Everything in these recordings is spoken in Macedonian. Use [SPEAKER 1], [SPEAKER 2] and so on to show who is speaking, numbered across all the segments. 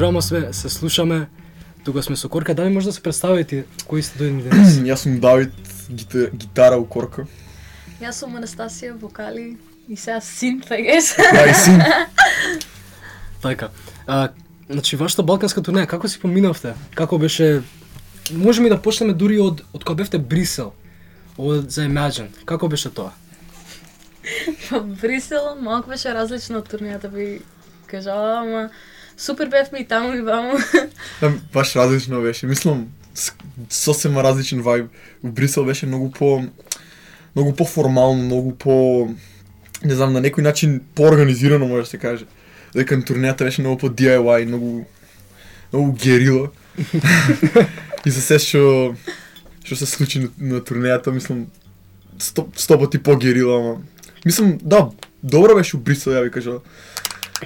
[SPEAKER 1] програма се слушаме. Тука сме со Корка. Дали може да се представите кои сте дојдени денес?
[SPEAKER 2] Јас сум Давид, гитара у Корка.
[SPEAKER 3] Јас сум Анастасија, вокали и сега синт, I guess.
[SPEAKER 2] Да, и син.
[SPEAKER 1] Така. Значи, вашата балканска турнеја, како си поминавте? Како беше... Можеме и да почнеме дури од кога бевте Брисел, за Imagine. Како беше тоа?
[SPEAKER 3] Во Брисел малку беше различно од турнејата, би кажала, ама супер бевме и таму и ваму.
[SPEAKER 2] Баш различно беше. Мислам, сосема различен вајб. У Брисел беше многу по-формално, многу по... Не знам, на некој начин по-организирано може да се каже. Дека турнејата беше многу по DIY, многу герила. И за се што се случи на турнејата, мислам, 100 пати по-герила, ама... Мислам, да, добро беше у Брисел, ја ви кажа.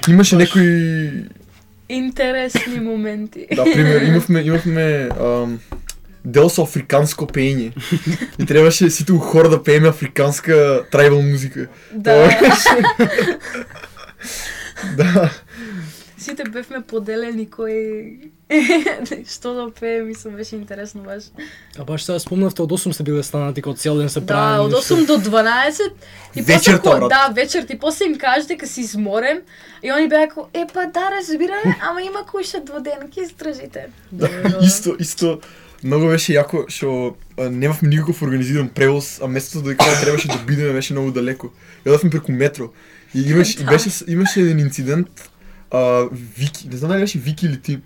[SPEAKER 2] Имаше некои...
[SPEAKER 3] Интересни моменти.
[SPEAKER 2] Да, пример, имавме дел со африканско пеење. И требаше сите у хор да пееме африканска трайбал музика.
[SPEAKER 3] Да.
[SPEAKER 2] Да.
[SPEAKER 3] Сите бевме поделени кој што да пее, мислам, беше интересно баш.
[SPEAKER 1] А баш сега спомнавте, од 8 сте биле станати, кога цел ден се
[SPEAKER 3] Да,
[SPEAKER 1] правени.
[SPEAKER 3] од 8 до 12 и
[SPEAKER 2] Вечерта, брат.
[SPEAKER 3] да, вечерта и после им кажа дека си изморен и они беа како па да, разбираме, ама има куша дводенки, истражите.
[SPEAKER 2] Исто многу беше јако што немавме никаков организиран превоз, а местото дека требаше да бидеме беше многу далеко. Јадовме преку метро. И имаше еден инцидент, Вики, не знам дали беше Вики или ти.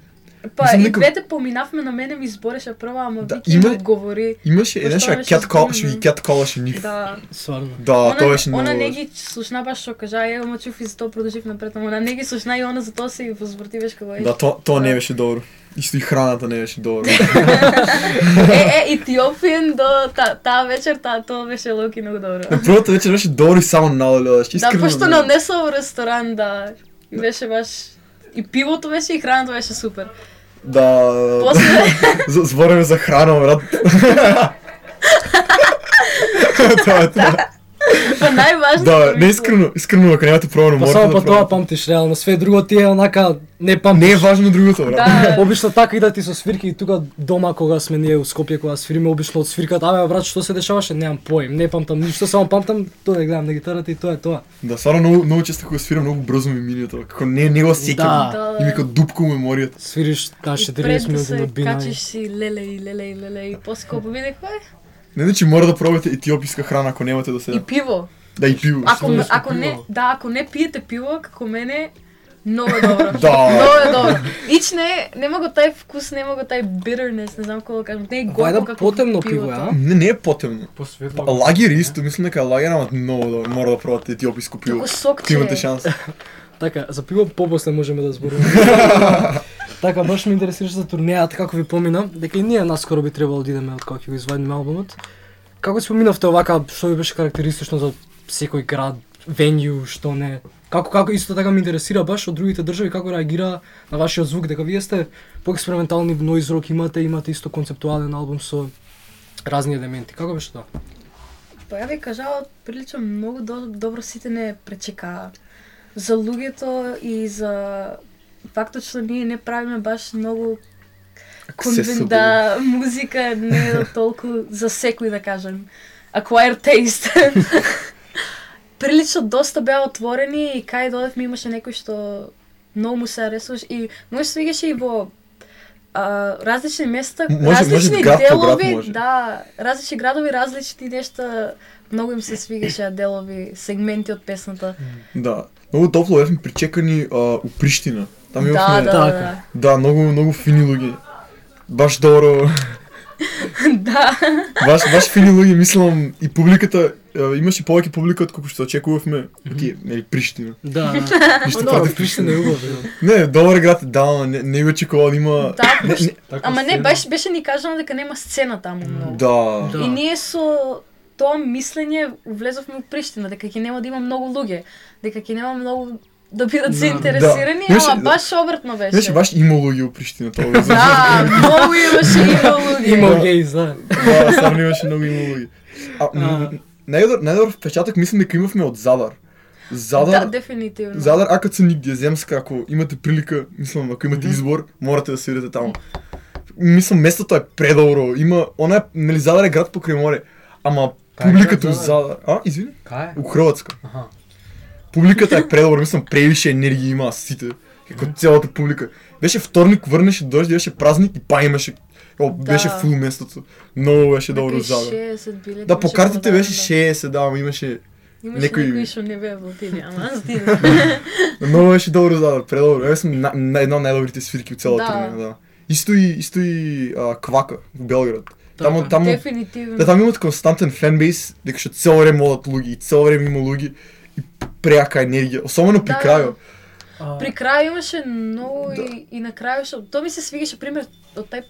[SPEAKER 3] Па
[SPEAKER 2] Мислам,
[SPEAKER 3] и двете поминавме, на мене ми избореше прва, ама
[SPEAKER 2] Да,
[SPEAKER 3] Вики ми одговори.
[SPEAKER 2] Имаше еден што ќе калаше нив.
[SPEAKER 3] Да.
[SPEAKER 1] Сварно.
[SPEAKER 2] Да, тоа беше многу.
[SPEAKER 3] Она не ги слушна баш што кажа, ама чув и за тоа продолжив напред, ама она не ги слушна и она за тоа се возврати беше како.
[SPEAKER 2] Да, тоа не беше добро. Исто и храната не беше добро.
[SPEAKER 3] Етиопиен до таа вечер, тоа беше локи многу добро.
[SPEAKER 2] На првата вечер беше добро и само налеле,
[SPEAKER 3] Да, пошто не однесла во ресторан, да. И беше баш и пивото беше и храната беше супер.
[SPEAKER 2] Да.
[SPEAKER 3] После
[SPEAKER 2] збориме за храна, брат. Тоа.
[SPEAKER 3] па најважно.
[SPEAKER 2] Да, не искрено ако немате пробано
[SPEAKER 1] Па
[SPEAKER 2] морате
[SPEAKER 1] само
[SPEAKER 2] да
[SPEAKER 1] па тоа
[SPEAKER 2] пробате.
[SPEAKER 1] памтиш, реално, све друго ти е онака, не памтиш.
[SPEAKER 2] Не е важно другото, брат.
[SPEAKER 3] Да.
[SPEAKER 1] Обично така идат со свирки и тука дома кога сме ние у Скопје кога свириме обично од свирката, абе брат што се дешаваше, немам поим, не памтам ништо, само памтам тоа да гледам на гитарата и тоа е тоа.
[SPEAKER 2] Да, стварно многу често кога свирам многу брзо ми минува тоа. Како не го сеќам.
[SPEAKER 1] Да.
[SPEAKER 2] И ми како дупка у меморијата.
[SPEAKER 1] Свириш на 40
[SPEAKER 3] Пред да
[SPEAKER 1] минути
[SPEAKER 3] се
[SPEAKER 1] на бина.
[SPEAKER 3] качиш си леле и после кога победих
[SPEAKER 2] Не значи мора да пробате етиописка храна ако немате до
[SPEAKER 3] и
[SPEAKER 2] сега.
[SPEAKER 3] пиво.
[SPEAKER 2] Да, и пиво.
[SPEAKER 3] Ако не пиете пиво, како мене, многу е добро.
[SPEAKER 2] Да.
[SPEAKER 3] Многу е добро. Ич нема го тај вкус, нема го тај bitterness, не знам како да кажам. Не е горко
[SPEAKER 1] Вајда
[SPEAKER 3] како
[SPEAKER 1] потемно пиво,
[SPEAKER 3] пивото.
[SPEAKER 1] а?
[SPEAKER 2] Не е потемно.
[SPEAKER 1] Посветло.
[SPEAKER 2] Лагер исто, мислам дека лагер, ама многу добро. Мора да пробате етиописко пиво.
[SPEAKER 3] Како сокче.
[SPEAKER 2] Имате шанса.
[SPEAKER 1] Така, за пиво попосле можеме да зборуваме. Така, баш ме интересираше за турнејата, како ви помина, дека и ние наскоро би требало да идеме од кога ќе го извадиме албумот. Како си поминавте овака, што ви беше карактеристично за секој град, венју, што не? Како исто така ме интересира баш од другите држави, како реагира на вашиот звук, дека вие сте поекспериментални, noise rock имате исто концептуален албум со разни елементи. Како беше тоа?
[SPEAKER 3] Па ја ви кажала, прилично многу добро сите не пречекаа. За луѓето и за фактот што ние не правиме баш многу музика не е толку за секој да кажем. Acquired taste. Прилично доста беа отворени и кај додевме имаше некој што многу му се аресуваше и може се свигаше и во различни места, различни
[SPEAKER 2] град по град
[SPEAKER 3] делови,
[SPEAKER 2] може.
[SPEAKER 3] да, различни градови, различни нешта, многу им се свигаше делови, сегменти од песната.
[SPEAKER 2] Да. Многу топло бевме причекани у Приштина. Там имавме
[SPEAKER 3] Да.
[SPEAKER 2] многу фини луѓе. Баш добро.
[SPEAKER 3] Да.
[SPEAKER 2] Баш фини луѓе, мислам и публиката имаше повеќе публика од колку што очекувавме. Нели Приштина.
[SPEAKER 1] Да.
[SPEAKER 2] Ништо
[SPEAKER 1] Добро,
[SPEAKER 2] против
[SPEAKER 1] Приштина е убав.
[SPEAKER 2] Не, добар град, да, не го очекував да има.
[SPEAKER 3] Да,
[SPEAKER 1] Така
[SPEAKER 3] ама не,
[SPEAKER 1] сцена.
[SPEAKER 3] беше ни кажано дека нема сцена таму многу.
[SPEAKER 2] Да.
[SPEAKER 1] Да.
[SPEAKER 3] И ние со тоа мислење влезовме во Приштина, дека ќе нема да има многу луѓе, дека ќе нема многу да бидат заинтересирани,
[SPEAKER 2] Да.
[SPEAKER 3] ама баш обратно беше.
[SPEAKER 2] Значи баш има луѓе у Приштина тоа.
[SPEAKER 3] Да, многу имаше луѓе.
[SPEAKER 1] Има гейз, да.
[SPEAKER 2] Да, стварно имаше многу има луѓе. Најдобар впечаток мислам дека имавме од Задар.
[SPEAKER 3] Да,
[SPEAKER 2] Задар,
[SPEAKER 3] дефинитивно.
[SPEAKER 2] Задар, АКЦ нигде, земска, ако имате прилика, мислам, ако имате избор, морате да свирите таму. Мислам, местото е предобро, има, она е, нели Задар е град покрај море, ама
[SPEAKER 4] Кај е
[SPEAKER 2] публиката у
[SPEAKER 4] град
[SPEAKER 2] Задар, извини,
[SPEAKER 4] Кај е?
[SPEAKER 2] у Хрватска.
[SPEAKER 4] Аха.
[SPEAKER 2] Публиката е предобро, мислам, превише енергија има сите, како целата публика. Беше вторник, врнеше дожд, беше празник и па имаше, беше фул местото. Многу беше добро у Задар.
[SPEAKER 3] 60 билети.
[SPEAKER 2] Да, по
[SPEAKER 3] имаше
[SPEAKER 2] картите
[SPEAKER 3] продадено,
[SPEAKER 2] беше 60, да, ама имаше
[SPEAKER 3] Имаше
[SPEAKER 2] некои-
[SPEAKER 3] некои што не беа платили, ама аз стигна.
[SPEAKER 2] Многу беше добро Задар, предобро. Ја сум на една од најдобрите свирки у целата
[SPEAKER 3] Да.
[SPEAKER 2] турнеја, да. Исто и Квака во Белград. Таму
[SPEAKER 3] Дефинитивно.
[SPEAKER 2] да, таму имат константен фенбейс, дека што цело време одат луѓе и цело време има луѓе и преака енергија, особено при
[SPEAKER 3] Да.
[SPEAKER 2] крајот.
[SPEAKER 3] При крај имаше многу и на крај што тоа ми се свигаше пример од тај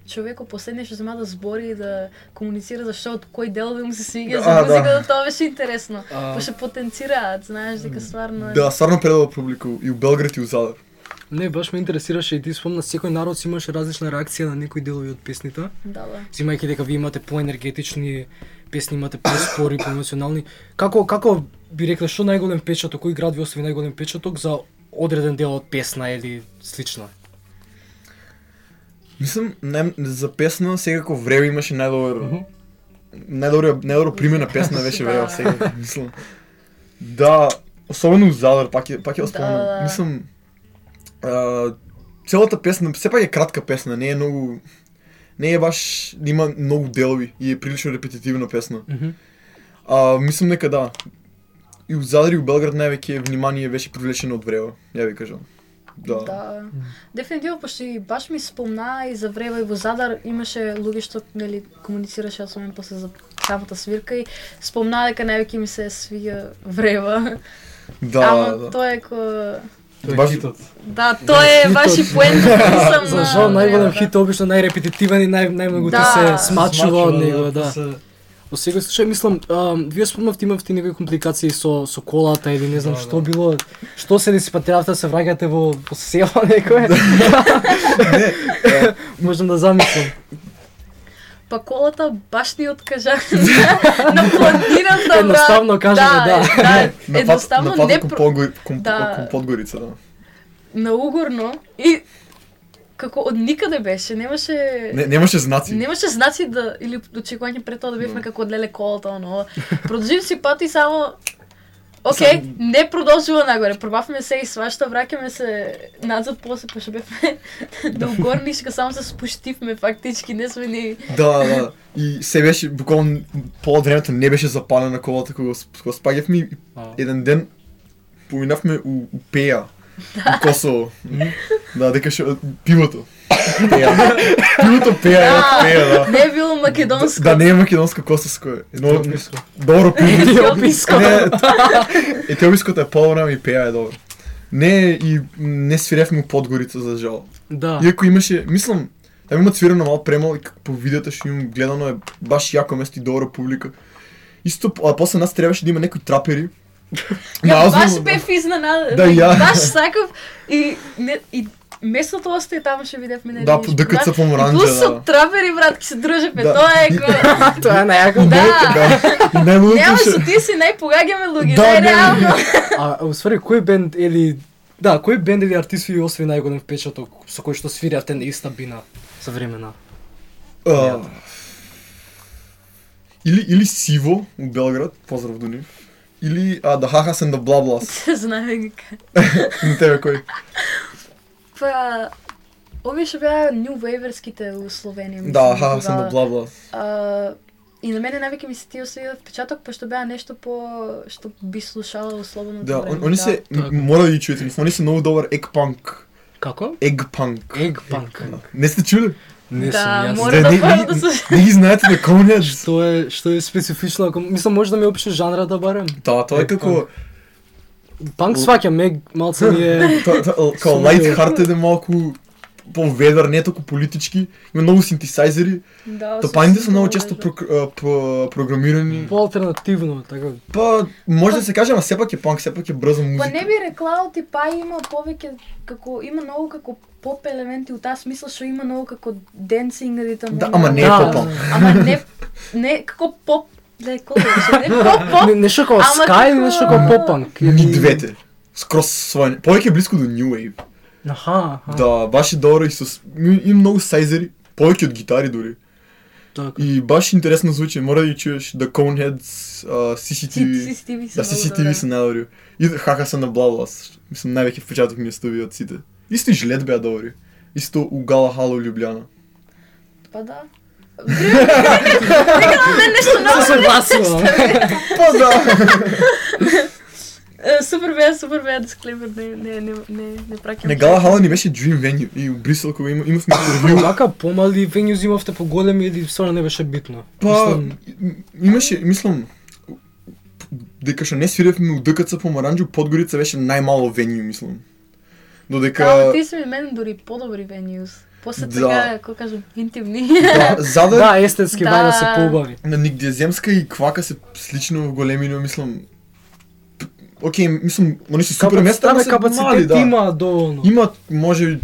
[SPEAKER 3] човекот последниот што зема да збори и да комуницира зашто од кој делови му се свига за
[SPEAKER 2] Да.
[SPEAKER 3] музиката, тоа беше интересно.
[SPEAKER 1] А.
[SPEAKER 3] Пошто потенцираат, знаеш дека стварно е.
[SPEAKER 2] Да, стварно предобро публика и у Белград и у Задар.
[SPEAKER 1] Не, баш ме интересираше и ти спомна, секој народ си имаше различна реакција на некои делови од песните.
[SPEAKER 3] Да.
[SPEAKER 1] Зимајќи дека ви имате поенергетични песни, имате поспори, поемоционални. Како би рекле што најголем печаток, кој град ви остави најголем печаток за одреден дел од песна или слично?
[SPEAKER 2] Мислам, за песна секако Време имаше најдобро пример на песна беше
[SPEAKER 3] Да.
[SPEAKER 2] Време сега, мислам. Да, особено у Задар, пак ја спомнам.
[SPEAKER 3] Да.
[SPEAKER 2] Мислам, целата песна, сепак е кратка песна, не е многу, не е баш, има многу делови и е прилично репетитивна песна. Мислам дека да. И у Задар и у Белград највеќе внимание беше привлечено од Време, ја ви кажам. Да.
[SPEAKER 3] Да. Дефинитивно, пошто и баш ми спомна и за Врева и во Задар имаше луѓе што нели комуницираше со мене после за самата свирка и спомна дека највеќе ми се свиѓа Врева.
[SPEAKER 2] Да,
[SPEAKER 3] Ама
[SPEAKER 2] да.
[SPEAKER 3] тоа е ко
[SPEAKER 4] Тој
[SPEAKER 2] Баш-
[SPEAKER 4] е хитот.
[SPEAKER 3] да, тоа е баш и поента сам
[SPEAKER 1] За жал најголем хит е обично најрепетитивен и најмногу ти
[SPEAKER 3] Да.
[SPEAKER 1] се смачува од него, да.
[SPEAKER 4] после-
[SPEAKER 1] Во секој случај мислам, вие спомнавте имавте некои компликации со колата или не знам
[SPEAKER 4] Да,
[SPEAKER 1] што
[SPEAKER 4] да.
[SPEAKER 1] било, што се деси па требавте да се враќате во село некое. Можам да замислам.
[SPEAKER 3] Па колата баш ни откажа на планината, брат.
[SPEAKER 1] Едноставно кажано, да.
[SPEAKER 3] Да, едноставно
[SPEAKER 2] на пат
[SPEAKER 3] не
[SPEAKER 2] кон
[SPEAKER 3] Да.
[SPEAKER 2] кон Подгорица, да.
[SPEAKER 3] на Угорно и како од никаде беше, немаше
[SPEAKER 2] Немаше знаци.
[SPEAKER 3] Немаше знаци да или очекување пред тоа да бевме
[SPEAKER 2] Да.
[SPEAKER 3] како одлеле колата, оно. Продолжив си пат и само Океј, не продолжува нагоре. Пробавме се и свашта, враќаме се назад после пошто бевме до горнишка, само се спуштивме фактички, не сме ни
[SPEAKER 2] Да. И се беше буквално пола од времето не беше запалена колата кога спаѓавме и еден ден поминавме у Пеја. У Косово. Да, дека што пивото. Пеја. Пивото Пеја, да.
[SPEAKER 3] не е било македонско.
[SPEAKER 2] Да, не е македонско, косовско е. Едно
[SPEAKER 4] Етиописко.
[SPEAKER 2] добро пиво.
[SPEAKER 1] Етиописко.
[SPEAKER 2] Не, етиопиското е по-време и Пеја е добро. Не свиревме у Подгорица за жал.
[SPEAKER 1] Да.
[SPEAKER 2] Иако имаше, мислам, там има свирено мал премал и по видеото што имам гледано е баш јако место и добра публика. Исто, а после нас требаше да има некои трапери.
[SPEAKER 3] Ја баш бев изненаден.
[SPEAKER 2] Да, ја.
[SPEAKER 3] Баш сакав и местото остаje таму што видевме на
[SPEAKER 2] Да, по ДКЦ Поморанџа,
[SPEAKER 3] Плюс со
[SPEAKER 2] да.
[SPEAKER 3] трапери, брат, ки се дружевме.
[SPEAKER 2] Да.
[SPEAKER 3] Тоа е ко...
[SPEAKER 1] Тоа е најако.
[SPEAKER 3] Да.
[SPEAKER 2] И најлудото
[SPEAKER 3] Нема
[SPEAKER 2] што...
[SPEAKER 3] со ти си најпогагаме луѓе,
[SPEAKER 2] Да,
[SPEAKER 3] најреално.
[SPEAKER 1] А усвари кој бенд или кој бенд или артист ви освои најголем впечаток со кој што свиревте на иста бина за времена?
[SPEAKER 2] Или Сиво у Белград, поздрав до нив. Или The Hahas and the Blablas.
[SPEAKER 3] Знаме дека.
[SPEAKER 2] На тебе кој?
[SPEAKER 3] Па, овие што беа New Waverските у Словенија, мислам.
[SPEAKER 2] Да, Hahas and the
[SPEAKER 3] тогава.
[SPEAKER 2] Blablas.
[SPEAKER 3] И на мене навеќе ми се тие освоија впечаток, пошто беа нешто по што би слушала у слободното
[SPEAKER 2] Да,
[SPEAKER 3] време.
[SPEAKER 2] они се,
[SPEAKER 1] така.
[SPEAKER 2] мора да ги чуете, они се многу добар егг-панк.
[SPEAKER 1] Како?
[SPEAKER 2] Егг-панк.
[SPEAKER 1] Eggpunk.
[SPEAKER 2] Не сте чули?
[SPEAKER 1] Не
[SPEAKER 3] Да,
[SPEAKER 1] сум јас.
[SPEAKER 3] мора да пробам да слушам.
[SPEAKER 2] Не ги знаете да комунет?
[SPEAKER 1] Што е специфично, ако мислам може да ми опишеш жанрата барем.
[SPEAKER 2] Да, тоа е како
[SPEAKER 1] Панк сваќам, малце ми е
[SPEAKER 2] као light hearted е малку по-ведар, не толку политички, има многу синтесайзери,
[SPEAKER 3] Да,
[SPEAKER 2] топаните се многу често програмирани.
[SPEAKER 1] по-алтернативно, така.
[SPEAKER 2] Па, може да се каже, ама сепак е панк, сепак е брза музика.
[SPEAKER 3] Па не би рекла, па има повеќе како има многу како поп елементи у таа смисла што има многу како денсинг ритам.
[SPEAKER 2] Да, ама не е
[SPEAKER 1] Да.
[SPEAKER 2] попанк.
[SPEAKER 3] Ама не како поп Ле, колко беше? Не, поп.
[SPEAKER 1] Нешто како
[SPEAKER 3] Ама
[SPEAKER 1] Sky или
[SPEAKER 3] како-
[SPEAKER 1] нешто како поп-панк?
[SPEAKER 2] Ни двете. Скрос свој. Повеќе блиску до New Wave.
[SPEAKER 1] Аха.
[SPEAKER 2] Да, баш е добро и има многу сайзери, повеќе од гитари дури.
[SPEAKER 1] Така.
[SPEAKER 2] И баш интересно звучи, мора да ги чуеш The Coneheads, CCTV.
[SPEAKER 3] CCTV се
[SPEAKER 2] Да,
[SPEAKER 3] много
[SPEAKER 2] CCTV
[SPEAKER 3] добра.
[SPEAKER 2] се најдобри. И хаха се на Bloodlust. Мислам највеќе впечаток ми остави од сите. Исто и Жилет беа добри. Исто у Гала Хала у Лјубљана.
[SPEAKER 3] Па да. Нека на мен нешто ново.
[SPEAKER 1] Се согласувам.
[SPEAKER 2] Па да.
[SPEAKER 3] Супер беа дисклеймер, не праќам.
[SPEAKER 2] Не, Гала Хала ни беше Dream Venue и у Брисел кога имавме интервју.
[SPEAKER 1] Вака помали вењу имавте поголеми или стварно не беше битно?
[SPEAKER 2] Па,
[SPEAKER 1] Мислам,
[SPEAKER 2] имаше, мислам, дека што не свиревме у ДКЦ Помаранџу, Подгорица беше најмало вењу, мислам. Додека...
[SPEAKER 3] Ама ти си мене дури подобри venues. После
[SPEAKER 2] Да.
[SPEAKER 3] така, како кажам, интимни.
[SPEAKER 2] Да, задар
[SPEAKER 1] да, естетски
[SPEAKER 3] Да.
[SPEAKER 1] вајда се поубави.
[SPEAKER 2] на Нигдеземска и Квака се слично во големина, мислам. Океј, мислам, они се супер места, ама се мали,
[SPEAKER 1] капацитет
[SPEAKER 2] да.
[SPEAKER 1] има доволно.
[SPEAKER 2] Имаат може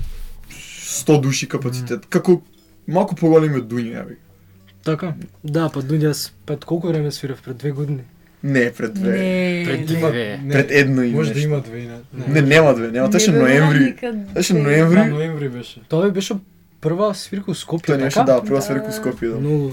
[SPEAKER 2] 100 души капацитет, како малку поголеми од Дуња, јави.
[SPEAKER 1] Така? Да, па Дуњас пред колку време свирев? Пред 2 години?
[SPEAKER 2] Не, пред две.
[SPEAKER 3] Не.
[SPEAKER 1] Пред две.
[SPEAKER 2] Пред едно и
[SPEAKER 4] Може да
[SPEAKER 2] нешто.
[SPEAKER 4] има две,
[SPEAKER 2] Не, нема две, нема, беше ноември. Беше
[SPEAKER 4] Да,
[SPEAKER 2] ноември.
[SPEAKER 4] ноември беше.
[SPEAKER 1] Тоа беше прва свирка у Скопје,
[SPEAKER 2] Тоа беше,
[SPEAKER 1] така?
[SPEAKER 2] да, прва
[SPEAKER 3] Да.
[SPEAKER 2] свирка у Скопје, да.
[SPEAKER 1] Многу.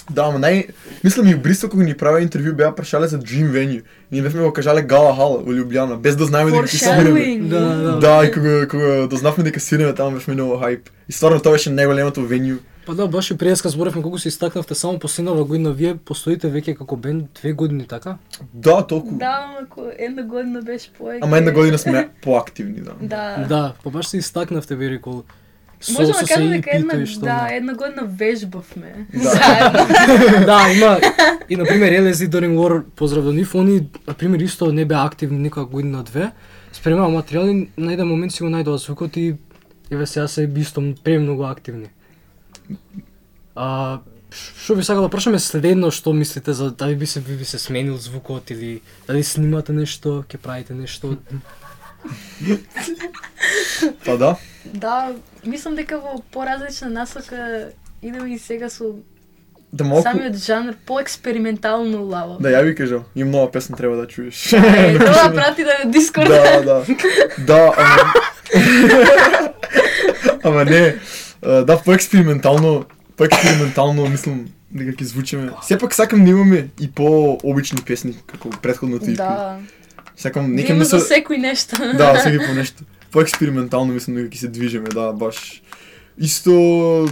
[SPEAKER 2] Да, ама мислам и у Бристол кога ни правеа интервју беа прашале за Dream Venue. Ние бевме го кажале Гала Хала во Лјубљана, без да знаеме дека ќе свиреме.
[SPEAKER 3] Foreshadowing.
[SPEAKER 1] Да.
[SPEAKER 2] Да, и кога дознавме дека свиреме таму бевме многу хајп. И стварно тоа беше најголемото венју.
[SPEAKER 1] Па да, баш и преска зборевме колку се истакнавте само последнава година, вие постоите веќе како бенд 2 години, така?
[SPEAKER 2] Да, толку.
[SPEAKER 3] Да, ама ако една година беше повеќе.
[SPEAKER 2] Ама една година сме поактивни, да.
[SPEAKER 3] Да.
[SPEAKER 1] Да, па баш се истакнавте, би рекол.
[SPEAKER 3] Може да кажем дека
[SPEAKER 1] EP-то и што
[SPEAKER 3] да,
[SPEAKER 1] не.
[SPEAKER 3] една година вежбавме.
[SPEAKER 2] Да.
[SPEAKER 3] Заедно.
[SPEAKER 1] Да, има и на пример LSD During War, поздрав до нив, они на пример исто не беа активни никоја година две. Спремаа материјали, на еден момент си го најдоа звукот и еве сега се исто премногу активни. Што би сакал да прашаме следно, што мислите за дали би се сменил звукот или дали снимате нешто, ќе правите нешто?
[SPEAKER 2] Па да.
[SPEAKER 3] Да, мислам дека во поразлична насока идеме и сега со
[SPEAKER 2] Да малку.
[SPEAKER 3] самиот жанр поекспериментално лаво.
[SPEAKER 2] Да, ја ви кажам, има нова песна треба да чуеш.
[SPEAKER 3] Тоа прати да Дискорд.
[SPEAKER 2] Да, да. Да, ама... Ама не, да, поекспериментално мислам дека ќе звучиме. Сепак сакам да имаме и по-обични песни, како претходното EP.
[SPEAKER 3] Да.
[SPEAKER 2] Сакам,
[SPEAKER 3] Да
[SPEAKER 2] нека
[SPEAKER 3] има за
[SPEAKER 2] мисля...
[SPEAKER 3] секој нешто.
[SPEAKER 2] Да, всеки по нешто. Поекспериментално мислам дека ќе се движиме, да, баш. Исто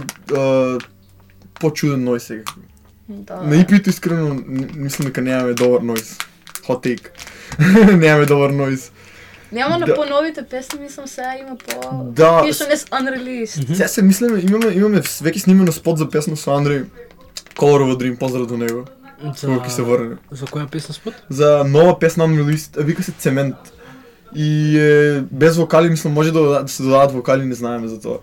[SPEAKER 2] по-чуден нојз сега.
[SPEAKER 3] Да.
[SPEAKER 2] На EP-то искрено мислам дека немаме добар нојз. Hot take. Немаме добар нојз.
[SPEAKER 3] Нема на
[SPEAKER 2] Да.
[SPEAKER 3] поновите песни, мислам сега има по...
[SPEAKER 2] Да.
[SPEAKER 3] Тие што не се unreleased.
[SPEAKER 2] Сега се мислиме, имаме веќе снимено спот за песна со Андреј. Color of a Dream, поздрав до него. Кога ќе се врне.
[SPEAKER 1] За која песна спот?
[SPEAKER 2] За нова песна unreleased, вика се Цемент. И без вокали, мислам, може да се додадат вокали, не знаеме за тоа.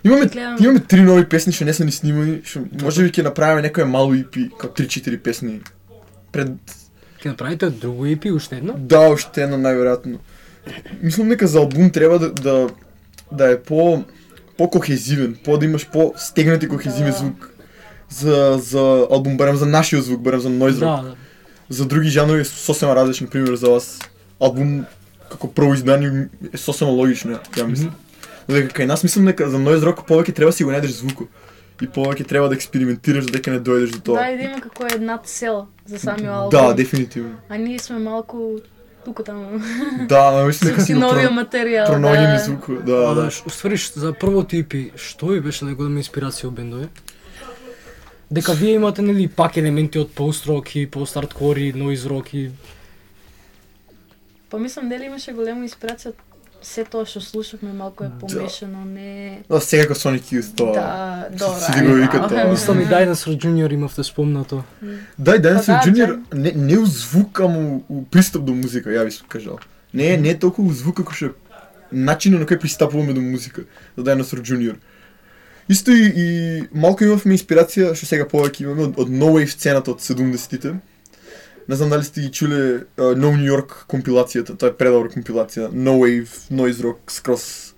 [SPEAKER 2] Имаме
[SPEAKER 3] Гледам.
[SPEAKER 2] 3 нови песни што не се ни снимани, што можеби ќе направиме некоја мало EP, како 3-4 песни. Пред
[SPEAKER 1] Ќе направите друго EP, уште едно?
[SPEAKER 2] да, уште едно најверојатно. Мислам дека за албум треба да е по-кохезивен, да имаш по-стегнати кохезивен
[SPEAKER 3] Да.
[SPEAKER 2] звук. За албум, барем за нашиот звук, барем за noise rock.
[SPEAKER 1] Да,
[SPEAKER 2] За други жанрови е сосема различно, пример за вас. Албум како прво издание е сосема логично, ја мислам. Додека кај нас мислам дека за noise rock повеќе треба си го најдеш звукот. И повеќе треба да експериментираш додека не дојдеш до тоа.
[SPEAKER 3] Да, и да има како една цел за самиот албум.
[SPEAKER 2] Да, дефинитивно.
[SPEAKER 3] А ние сме малку тука таму.
[SPEAKER 2] Да, ама мислам дека
[SPEAKER 3] Си
[SPEAKER 2] си го
[SPEAKER 3] новиот материјал.
[SPEAKER 2] пронаоѓаме
[SPEAKER 3] Да.
[SPEAKER 2] звукот. Да, да.
[SPEAKER 1] Уствари, за првото EP, што ви беше најголема инспирација од бендови? Дека вие имате нели пак елементи од пост-рок и пост-хардкор и noise rock и
[SPEAKER 3] Па мислам дали имаше голема инспирација од се тоа што слушавме, малку е помешано, не...
[SPEAKER 2] Да, сега како Sonic Youth тоа.
[SPEAKER 3] Да, добра.
[SPEAKER 2] Сите го викат тоа.
[SPEAKER 1] мислам и Dinosaur Junior имавте спомнато.
[SPEAKER 2] Да, и Dinosaur
[SPEAKER 3] Па да,
[SPEAKER 2] Junior не у звук, ама у пристап до музика, ја би кажал. Не е толку у звук како што начинот на кој пристапуваме до музика, за Dinosaur Junior. Исто и малку имавме инспирација, што сега повеќе имаме од No Wave сцената од 70-тите. Не знам дали сте ги чуле No New York компилацијата, тоа е предобра компилација. No Wave, Noise Rock, скрос.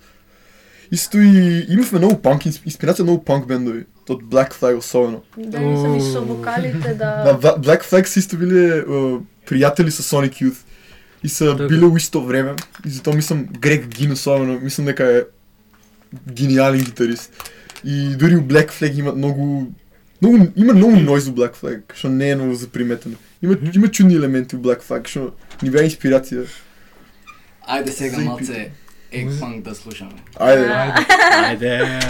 [SPEAKER 2] Исто и имавме многу панк, инспирација од многу панк бендови. од Black Flag особено.
[SPEAKER 3] Да, мислам и со вокалите,
[SPEAKER 2] Да, Black Flag се исто биле пријатели со Sonic Youth и се
[SPEAKER 1] Така.
[SPEAKER 2] биле у исто време и затоа мислам Грег Гин особено, мислам дека е гениален гитарист. И дури у Black Flag има многу нойз у Black Flag, што не е многу заприметено. Има чудни елементи у Black Flag, што ни беа инспирација.
[SPEAKER 4] Ајде сега малце Eggpunk да слушаме.
[SPEAKER 2] Ајде.
[SPEAKER 1] Ајде.